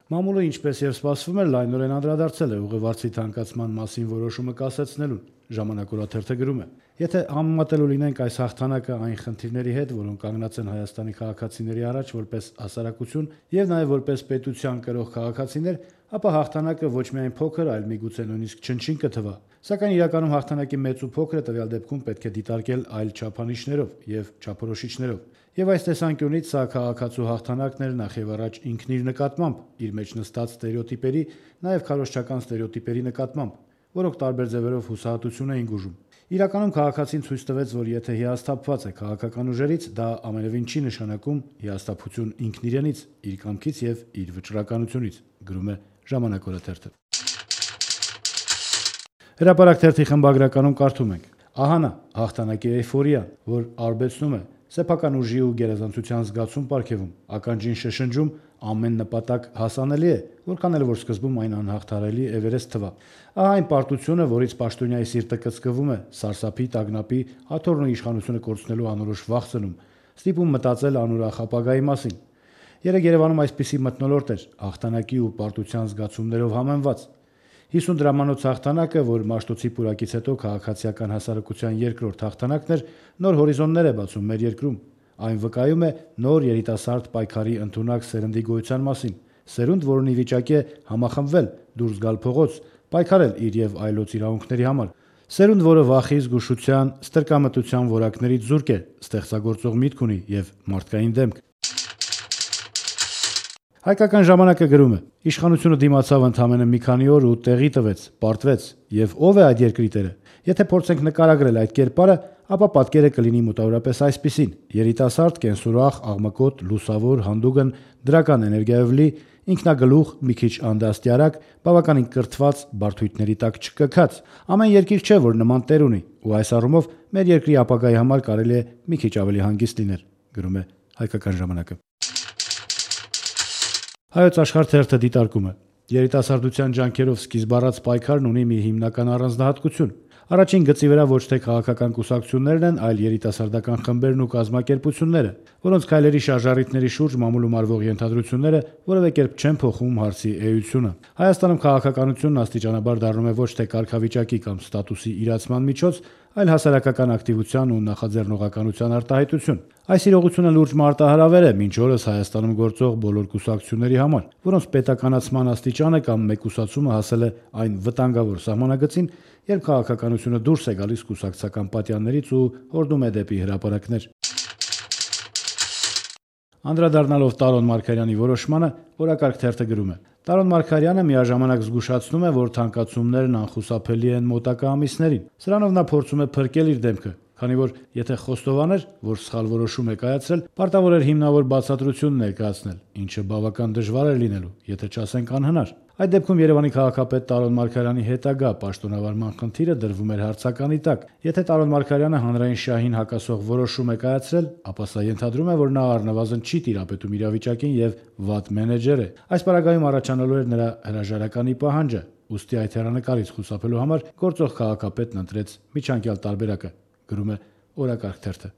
Մամուլը, ինչպես եւ սպասվում էր, լայնորեն անդրադարձել է ուղևորցի թանկացման մասին որոշումը կասեցնելուն։ Ժամանակ օրաթերթը գրում է. Եթե համեմատելու լինենք այս հաղթանակը այն խնդիրների հետ, որոնք կանգնած են Հայաստանի քաղաքացիների առաջ որպես հասարակություն եւ նաեւ որպես պետության կրող քաղաքացիներ, ապա հաղթանակը ոչ միայն փոքր, այլ միգուցե նույնիսկ չնչին կթվա։ Սակայն իրականում հաղթանակի մեծ ու փոքրը տվյալ դեպքում պետք է դիտարկել այլ չափանիշներով եւ չափորոշիչներով։ Եվ այս տեսանկյունից սա քաղաքացու հաղթանակն էր նախ եւ առաջ ինքն իր նկատմամբ, իր մեջ նստած ստերեոտիպերի, նաեւ քարոզչական ստերեոտիպերի նկատմամբ, որոնք տարբեր ձևերով հուսահատություն էին գուժում։ Իրականում քաղաքացին ցույց տվեց, որ եթե հիասթափված է քաղաքական ուժերից, դա ամենևին չի նշանակում հիասթափություն ինքն իրենից, իր կամքից եւ իր վճռականությունից, գրում է Ժամանակ օրաթերթը։ Հրապարակ թերթի խմբագրականում կարդում ենք. ահա նա հաղթանակի էյֆորիան, որ արբեցնում է, սեփական ուժի ու գերազանցության զգացում պարգևում, ականջին շշնջում, ամեն նպատակ հասանելի է, որքան էլ որ սկզբում այն անհաղթահարելի Էվերեստ թվա։ Ահա այն պարտությունը, որից պաշտոնյայի սիրտը կծկվում է, սարսափի, տագնապի, աթոռն ու իշխանությունը կորցնելու անորոշ վախ ծնում, ստիպում մտածել անուրախ ապագայի մասին։ Երեկ Երևանում այսպիսի մթնոլորտ էր, հաղթանակի ու պարտության զգացումներով համեմված։ 50 դրամանոց հաղթանակը, որ Մաշտոցի պուրակից հետո քաղաքացիական հասարակության երկրորդ հաղթանակն էր, նոր հորիզոններ է բացում մեր երկրում։ Այն վկայում է նոր երիտասարդ պայքարի ընդունակ սերնդի գոյության մասին, սերունդ, որն ի վիճակի է համախմբվել, դուրս գալ փողոց, պայքարել իր եւ այլոց իրավունքների համար։ Սերունդ, որը վախի, զգուշության, ստրկամտության որակներից զուրկ է, ստեղծագործող միտք ունի եւ մարդկային դեմք։ Հայկական ժամանակը գրում է. իշխանությունը դիմացավ ընդամենը մի քանի օր ու տեղի տվեց, պարտվեց, եւ ով է այդ երկրի տերը։ Եթե փորձենք նկարագրել այդ կերպարը, ապա պատկերը կլինի մոտավորապես այսպիսին. երիտասարդ, կենսուրախ, աղմկոտ, լուսավոր, հանդուգն, դրական էներգիայով լի, ինքնագլուխ, մի քիչ անդաստիարակ, բավականին կրթված, բարդույթների տակ չկքած։ Ամեն երկիր չէ, որ նման տեր ունի, ու այս առումով մեր երկրի ապագայի համար կարելի է մի քիչ ավելի հանգիստ լինել, գրում է Հայկական ժամանակը։ Հայոց Աշխարհ թերթը դիտարկում է. երիտասարդության ջանքերով սկիզբ առած պայքարն ունի մի հիմնական առանձնահատկություն։ Առաջին գծի վրա ոչ թե քաղաքական կուսակցություններն են, այլ երիտասարդական խմբերն ու կազմակերպությունները, որոնց քայլերի շարժառիթների շուրջ մամուլում արվող ենթադրությունները որևէ կերպ չեն փոխում հարցի էությունը։ Հայաստանում քաղաքականությունն աստիճանաբար դառնում է ոչ թե կարգավիճակի կամ ստատուսի իրացման միջոց, այլ հասարակական ակտիվության ու նախաձեռնողականության արտահայտություն։ Այս իրողությունը լուրջ մարտահրավեր է մինչ օրս Հայաստանում գործող բոլոր կուսակցությունների համար, որոնց պետականացման աստիճանը կամ մեկուսացումը հասել է այն վտանգավոր սահմանագծին, երբ քաղաքականությունը դուրս է գալիս կուսակցական պատյաններից ու հորդում է դեպի հրապարակներ։ Անդրադառնալով Տարոն Մարգարյանի որոշմանը, Օրակարգ թերթը գրում է. Տարոն Մարգարյանը միաժամանակ զգուշացնում է, որ թանկացումներն անխուսափելի են մոտակա ամիսներին։ Սրանով նա փորձում է փրկել իր դեմքը, քանի որ եթե խոստովաներ, որ սխալ որոշում է կայացրել, պարտավոր էր հիմնավոր բացատրություն ներկայացնել, ինչը բավական դժվար էր լինելու, եթե չասենք անհնար։ Այդ դեպքում Երևանի քաղաքապետ Տարոն Մարգարյանի հետագա պաշտոնավարման խնդիրը դրվում էր հարցականի տակ։ Եթե Տարոն Մարգարյանը հանրային շահին հակասող որոշում է կայացրել, ապա սա ենթադրում է, որ նա առնվազն չի տիրապետում իրավիճակին եւ վատ մենեջեր է։ Այս պարագայում առաջանալու էր նրա հրաժարականի պահանջը, ուստի այդ հեռանկարից խուսափելու համար գործող քաղաքապետն ընտրեց միջանկյալ տարբերակը, գրում է Օրակարգ թերթը։